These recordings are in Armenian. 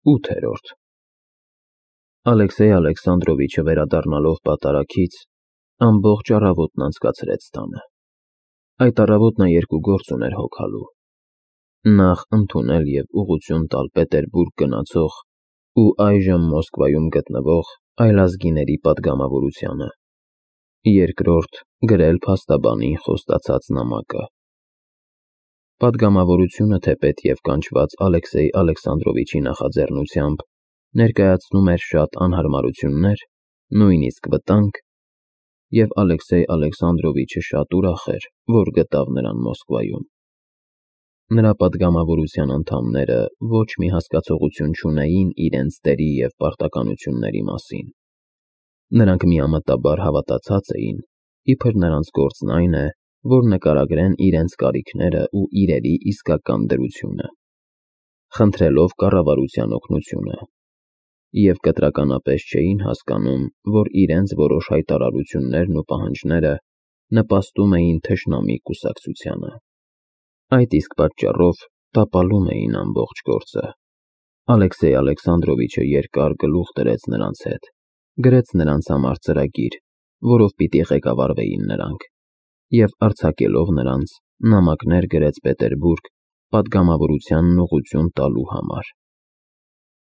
8-րդ Ալեքսեյ Ալեքսանդրովիչը վերադառնալով պատարագից, ամբողջ առավոտն անցկացրեց տանը։ Այդ առավոտ նա երկու գործ ուներ հոգալու. նախ ընդունել և ուղղություն տալ Պետերբուրգ գնացող ու այժմ Մոսկվայում գտնվող այլազգիների պատգամավորությանը, երկրորդ գրել փաստաբանին խոստացած նամակը։ Պատգամավորությունը, թեպետ և կանչված Ալեքսեյ Ալեքսանդրովիչի նախաձեռնությամբ, ներկայացնում էր շատ անհարմարություններ, նույնիսկ վտանգ, և Ալեքսեյ Ալեքսանդրովիչը շատ ուրախ էր, որ գտավ նրան Մոսկվայում։ Նրա պատգամավորության անդամները ոչ մի հասկացողություն չունեին իրենց դերի և պարտականությունների մասին։ Նրանք միամտաբար հավատացած էին, իբր նրանց գործն այն է, որ նկարագրեն իրենց կարիքները ու իրերի իսկական դրությունը, խնդրելով կառավարության օգնությունը, և կտրականապես չէին հասկանում, որ իրենց որոշ հայտարարություններն ու պահանջները նպաստում էին թշնամի կուսակցությանը։ Այդ իսկ պատճառով տապալում էին ամբողջ գործը։ Ալեքսեյ Ալեքսանդրովիչը երկար գլուխ դրեց նրանց հետ, գրեց նրանց համար ծրագիր, որով պիտի ղեկավարվեին նրանք, և արձակելով նրանց, նամակներ գրեց Պետերբուրգ պատգամավորությանն ուղղություն տալու համար։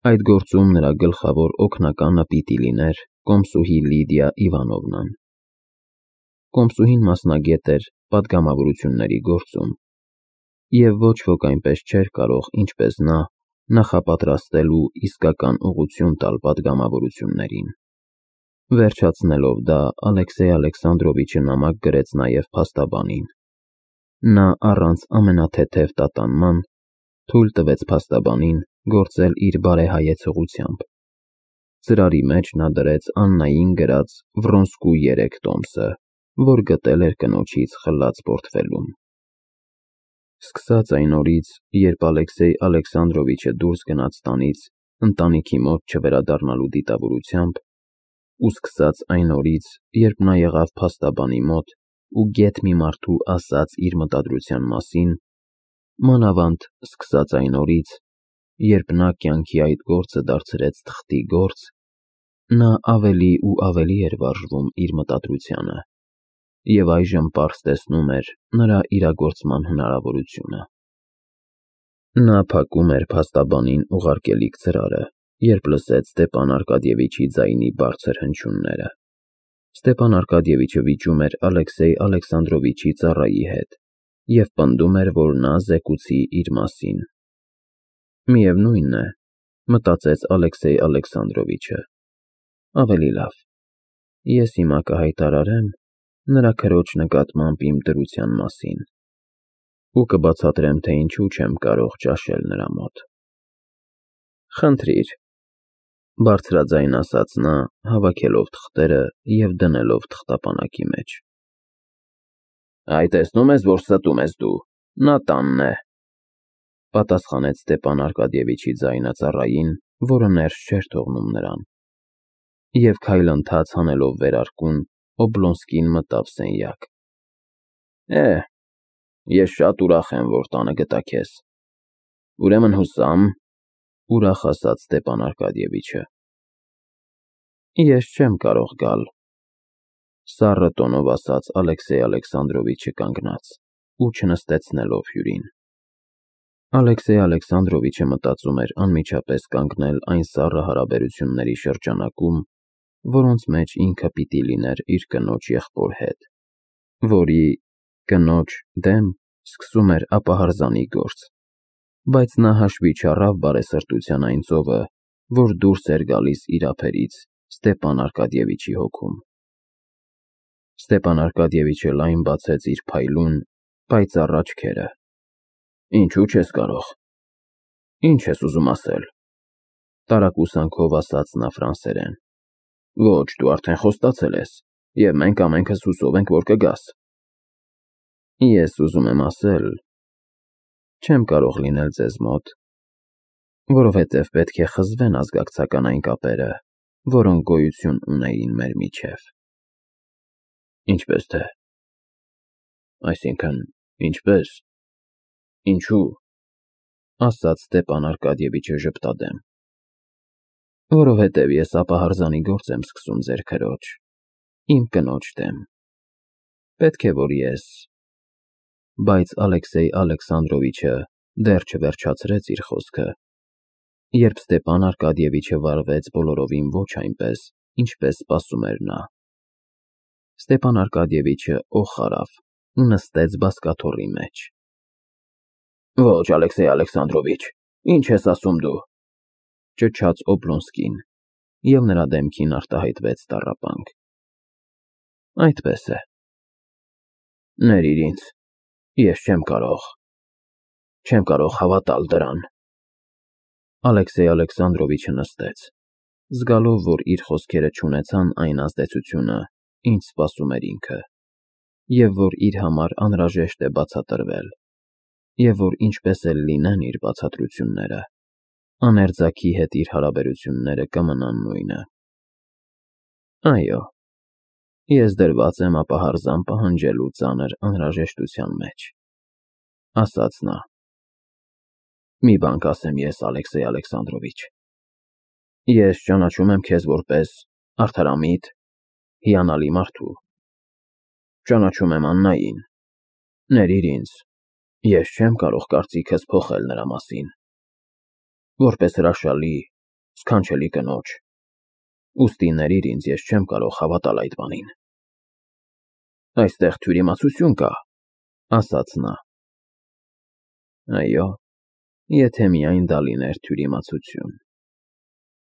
Այդ գործում նրա գլխավոր օգնականը պիտի լիներ կոմսուհի Լիդիա Իվանովնան։ Կոմսուհին մասնագետ էր պատգամավորությունների գործում, և ոչ ոք այնպես չէր կարող, ինչպես նա, նախապատրաստել ու իսկական ուղղություն տալ պատգամավորություններին։ Վերջացնելով դա, Ալեքսեյ Ալեքսանդրովիչը նամակ գրեց նաև փաստաբանին։ Նա առանց ամենաթեթև տատանման թույլ տվեց փաստաբանին գործել իր բարեհայեցողությամբ։ Ծրարի մեջ նա դրեց Աննային գրած Վրոնսկու 3 տոմսը, որ գտել էր կնոջից խլած պորտֆելում։ Սկսած այն օրից, երբ Ալեքսեյ Ալեքսանդրովիչը դուրս գնաց տանից ընտանիքի մոտ չվերադառնալու դիտավորությամբ, ու սկսած այն օրից, երբ նա եղավ փաստաբանի մոտ ու գեթ մի մարդու ասաց իր մտադրության մասին, մանավանդ սկսած այն օրից, երբ նա կյանքի այդ գործը դարձրեց թղթի գործ, նա ավելի ու ավելի էր վարժվում իր մտադրությանը, և այժմ պարզ տեսնում էր նրա իրագործման հնարավորությունը։ Նա փակում էր փաստաբանին ուղարկելիք ծրարը, երբ լսեց Ստեպան Արկադիևիչի ձայնի բարձր հնչյունները։ Ստեպան Արկադիևիչը վիճում էր Ալեքսեյ Ալեքսանդրովիչի ծառայի հետ և պնդում էր, որ նա զեկուցի իր մասին։ Միևնույն է, մտածեց Ալեքսեյ Ալեքսանդրովիչը, ավելի լավ, ես հիմա կհայտարարեմ նրա քրոջ նկատմամբ իմ դրության մասին ու կբացատրեմ, թե ինչու չեմ կարող ճաշել նրա մոտ։ Խնդրիր, բարձրաձայն ասաց նա, հավաքելով թղթերը և դնելով թղթապանակի մեջ։ Այ տեսնում ես, որ ստում ես դու, նա տանն է, պատասխանեց Ստեպան Արկադիևիչի ձայնը ծառային, որը ներս չէր թողնում նրան, և քայլընթաց հանելով վերարկուն, Օբլոնսկին մտավ սենյակ։ Ես շատ ուրախ եմ, որ տանը գտա քեզ։ Ուրեմն հուսամ, ուրախ ասաց Ստեպան Արկադիևիչը։ Ես չեմ կարող գալ, սառը տոնով ասաց Ալեքսեյ Ալեքսանդրովիչը կանգնած ու չնստեցնելով հյուրին։ Ալեքսեյ Ալեքսանդրովիչը մտածում էր անմիջապես կանգնել այն սառը հարաբերությունների շրջանակում, որոնց մեջ ինքը պիտի լիներ իր կնոջ եղբոր հետ, որի կնոջ դեմ սկսում էր ապահարզանի գործ, բայց նա հաշվի չառավ բարեսրտության այն ծովը, որ դուրս էր գալիս իր ափերից Ստեպան Արկադիևիչի հոգում։ Ստեպան Արկադիևիչը լայն բացեց իր փայլուն, պայծառ աչքերը։ Ինչու չես կարող։ Ինչ ես ուզում ասել, տարակուսանքով ասաց նա ֆրանսերեն։ Ոչ, դու արդեն խոստացել ես, և մենք ամենքս հուսով ենք, որ կգաս։ Ես ուզում եմ ասել, չեմ կարող լինել ձեզ մոտ, որովհետև պետք է խզվեն ազգակցական այն կապերը, որոնք գոյություն ունեին մեր միջև։ Ինչպես թե։ Այսինքն, ինչպես, ինչու, ասաց Ստեպան Արկադիևիչը ժպտադեմ։ Որովհետև ես ապահարզանի գործ եմ սկսում ձեր քրոջ, իմ կնոջ դեմ։ Պետք է որ ես… Բայց Ալեքսեյ Ալեքսանդրովիչը դեռ չվերջացրեց իր խոսքը, երբ Ստեպան Արկադիևիչը վարվեց բոլորովին ոչ այնպես, ինչպես սպասում էր նա։ Ստեպան Արկադիևիչը օխ արավ ու նստեց բազկաթոռի մեջ։ Ոչ, Ալեքսեյ Ալեքսանդրովիչ, ինչ ես ասում դու, ճչաց Օբլոնսկին, և նրա դեմքին արտահայտվեց տառապանք։ Այդպես է։ Ներիր ինձ, ես չեմ կարող հավատալ դրան։ Ալեքսեյ Ալեքսանդրովիչը նստեց, զգալով, որ իր խոսքերը չունեցան այն ազդեցությունը, ինչ սպասում էր ինքը, և որ իր համար անհրաժեշտ է բացատրվել, և որ ինչպես էլ լինեն իր բացատրությունները, աներձակի հետ իր հարաբերությունները կմնան նույնը։ Այո, ես դրված եմ ապահարզան պահանջելու ծանր անհրաժեշտության մեջ, ասաց նա։ Մի բան կասեմ ես, Ալեքսեյ Ալեքսանդրովիչ, ես ճանաչում եմ քեզ որպես արդարամիտ, հիանալի մարդու։ Ճանաչում եմ Աննային։ Ներիր ինձ, ես չեմ կարող կարծիքս փոխել նրա մասին։ Որպես հրաշալի, սքանչելի կնոջ, ուստի ներիր ինձ, ես չեմ կարող հավատալ այդ բանին։ Այստեղ թյուրիմացություն կա, ասաց նա։ Այո, եթե միայն դա լիներ թյուրիմացություն։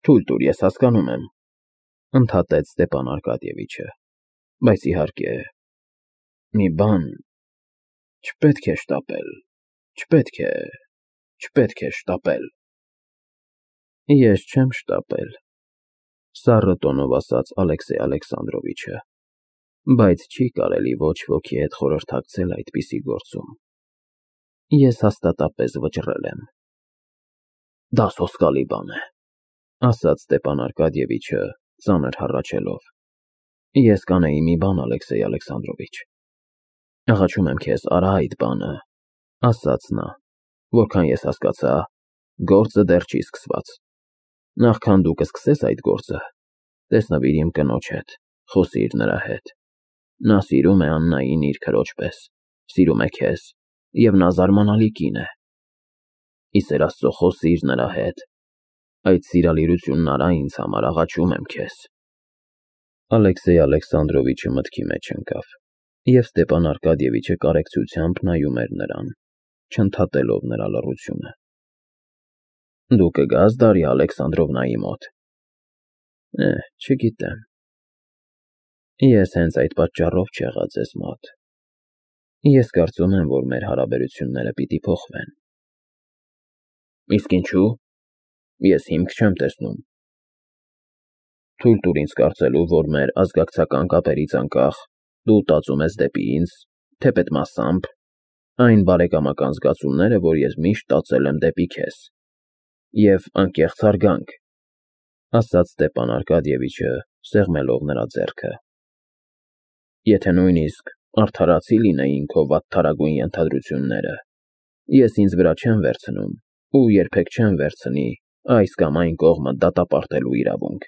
Թույլ տուր, ես հասկանում եմ, ընդհատեց Ստեպան Արկադիևիչը, բայց իհարկե, մի բան չպետք է շտապել։ Ես չեմ շտապել, սառը տոնով ասաց Ալեքսեյ Ալեքսանդրովիչը, բայց չի կարելի ոչ ոքի հետ խորհրդակցել այդպիսի գործում։ Ես հաստատապես վճռել եմ։ Դա սոսկալի բան է, ասաց Ստեպան Արկադիևիչը, ծանր հառաչելով։ Ես կանեի մի բան, Ալեքսեյ Ալեքսանդրովիչ։ Աղաչում եմ քեզ, արա այդ բանը, ասաց նա, որքան ես հասկացա, գործը դեռ չի սկսված։ Նախքան դու կսկսես այդ գործը, տեսնվիր իմ կնոջ հետ, խոսիր նրա հետ։ Նա սիրում է Աննային իր քրոջ պես, սիրում է քեզ, և նա զարմանալի կին է։ Ի սեր Աստծո, խոսիր նրա հետ։ Այդ սիրալիրությունն արա ինձ համար, աղաչում եմ քեզ։ Ալեքսեյ Ալեքսանդրովիչը մտքի մեջ ընկավ, և Ստեպան Արկադիևիչը կարեկցությամբ նայում էր նրան, չընդհատելով նրա լռությունը։ Դու կգաս Դարիա Ալեքսանդրովնայի մոտ։ Չգիտեմ։ Ես հենց այդ պատճառով չեղա ձեզ մոտ։ Ես կարծում եմ, որ մեր հարաբերությունները պիտի փոխվեն։ Իսկ ինչու՞։ Ես հիմք չեմ տեսնում։ Թույլ տուր ինձ կարծելու, որ մեր ազգակցական կապերից անկախ դու տածում ես դեպի ինձ, թեպետ մասամբ, այն բարեկամական զգացումները, որ ես միշտ տածել եմ դեպի քեզ, և անկեղծ հարգանք, ասաց Ստեպան Արկադիևիչը, սեղմելով նրա ձեռքը։ Եթե նույնիսկ արդարացի լինեին քո վատթարագույն ենթադրությունները, ես ինձ վրա չեմ վերցնում ու երբեք չեմ վերցնի այս կամ այն կողմը դատապարտելու իրավունք,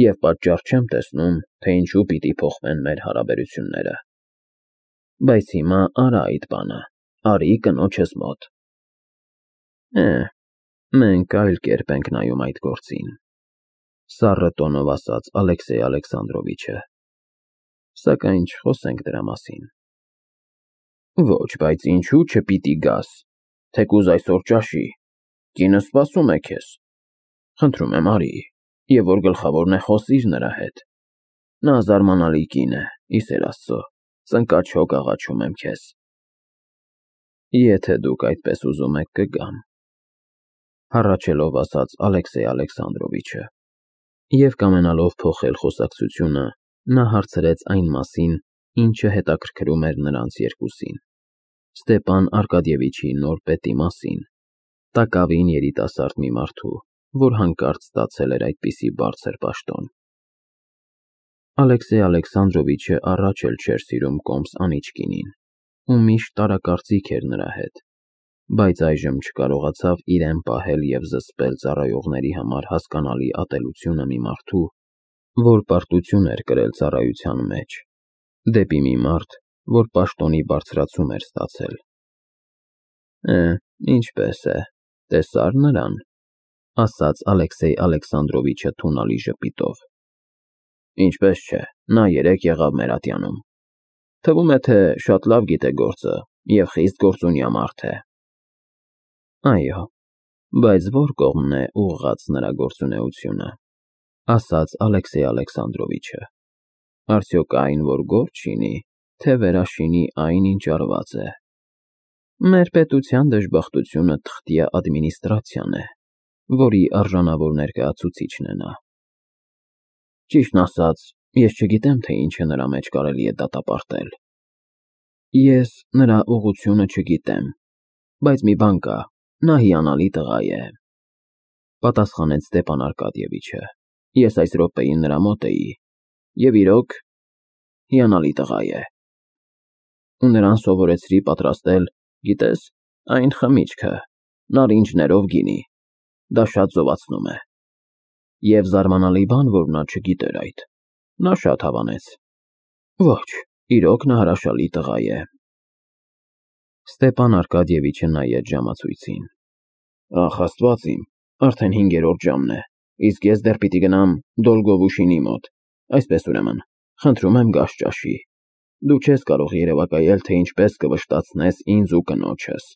և պատճառ չեմ տեսնում, թե ինչու պիտի փոխվեն մեր հարաբերությունները։ Բայց հիմա արա այդ բանը, արի կնոջս մոտ։ Մենք այլ կերպ ենք նայում այդ գործին, սառը տոնով ասաց Ալեքսեյ Ալեքսանդրովիչը, սակայն չխոսենք դրա մասին։ Ոչ, բայց ինչու չպիտի գաս, թեկուզ այսօր ճաշի, կինս սպասում է քեզ։ Խնդրում եմ, արի, և որ գլխավորն է, խոսիր նրա հետ։ Նա զարմանալի կին է, ի սեր Աստծո, ծնկաչոք աղաչում եմ քեզ։ Եթե դուք այդպես ուզում եք, կգամ, հառաչելով ասաց Ալեքսեյ Ալեքսանդրովիչը, և կամենալով փոխել խոսակցությունը, նա հարցրեց այն մասին, ինչը հետաքրքրում էր նրանց երկուսին, Ստեպան Արկադիևիչի նոր պետի մասին, տակավին երիտասարդ մի մարդու, որ հանկարծ ստացել էր այդպիսի բարձր պաշտոն։ Ալեքսեյ Ալեքսանդրովիչը առաջ էլ չէր սիրում կոմս անիծկինին, ու միշտ տարակարծիք էր նրա հետ, բայց այժմ չկարողացավ իրեն պահել և զսպել ծառայողների համար հասկանալի ատելությունը մի մարդու, որ պարտություն էր կրել ծառայության մեջ, դեպի մի մարդ, որ պաշտոնի բարձրացում էր ստացել։ Ինչպես է, տեսա՞ր նրան, ասաց Ալեքսեյ Ալեքսանդրովիչը թունալի ժպիտով։ Ինչպես չէ, նա երեկ եղավ մեր ատյանում։ Թվում է, թե շատ լավ գիտե գործը և խիստ գործունյա մարդ է։ Այո, բայց որ կողմն է ուղղված նրա գործունեությունը, ասաց Ալեքսեյ Ալեքսանդրովիչը։ Արդյոք այն, որ գործ չինի, թե վերաշինի այն, ինչ արված է։ Մեր պետության դժբախտությունը թղթյա ադմինիստրացիան է, որի արժանավոր ներկայացուցիչն է նա։ Ճիշտն ասած, ես չգիտեմ, թե ինչը նրա մեջ կարելի է դատապարտել։ Ես նրա ուղղությունը չգիտեմ, բայց մի բան կա, նա հիանալի տղա է, պատասխանեց Ստեփան Արկադիևիչը։ Ես այս րոպեին նրա մոտ էի, և իրոք, հիանալի տղա է։ Ու նրան սովորեցրի պատրաստել, գիտես, այն խմիչքը, նարինջներով գինի, դա շատ զովացնում է։ Եվ զարմանալի բան, որ նա չգիտեր այդ, նա շատ հավանեց։ Ոչ, իրոք նա հրաշալի տղա է։ Ստեփան Արկադիևիչը նայեց ժամացույցին։ Ախ, Աստված իմ, արդեն 5-րդ ժամն է, իսկ ես դեռ պիտի գնամ Դոլգովուշինի մոտ, այսպես ուրեմն, խնդրում եմ գազ ճաշի։ Դու չես կարող երևակայել, թե ինչպես կվշտացնես ինձ ու կնոջս։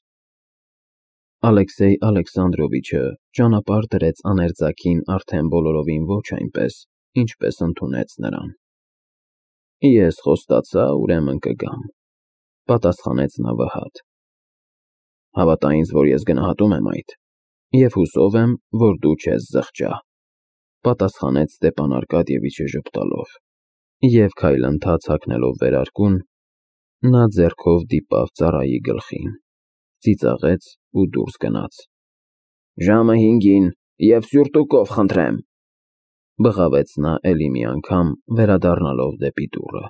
Ալեքսեյ Ալեքսանդրովիչը ճանապարհ դրեց աներձակին արդեն բոլորովին ոչ այնպես, ինչպես ընդունեց նրան։ Ես խոստացա, ուրեմն կգամ, պատասխանեց նա վհատ։ Հավատա ինձ, որ ես գնահատում եմ այդ, և հուսով եմ, որ դու չես զղջա, պատասխանեց Ստեփան Արկադիևիչը ժպտալով, և քայլընթաց հագնելով վերարկուն, նա ձեռքով դիպավ ծառայի գլխին, ծիծաղեց ու դուրս գնաց։ Ժամը 5-ին և սյուրտուկով խնդրեմ, բղավեց նա էլի մի անգամ, վերադառնալով դեպի դուռը։